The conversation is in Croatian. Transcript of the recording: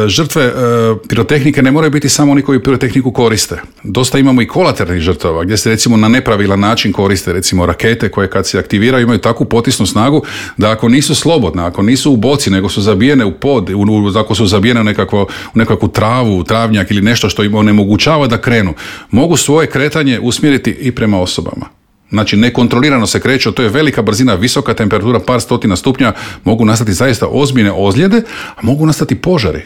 Žrtve pirotehnike ne moraju biti samo oni koji pirotehniku koriste. Dosta imamo i kolateralnih žrtava gdje se recimo na nepravilan način koriste recimo rakete koje kad se aktiviraju imaju takvu potisnu snagu da ako nisu slobodne, ako nisu u boci nego su zabijene u pod, ako su zabijene u nekakvu travu, travnjak ili nešto što im onemogućava da krenu, mogu svoje kretanje usmjeriti i prema osobama. Znači nekontrolirano se kreću, to je velika brzina, visoka temperatura, par stotina stupnja, mogu nastati zaista ozbiljne ozljede, a mogu nastati požari.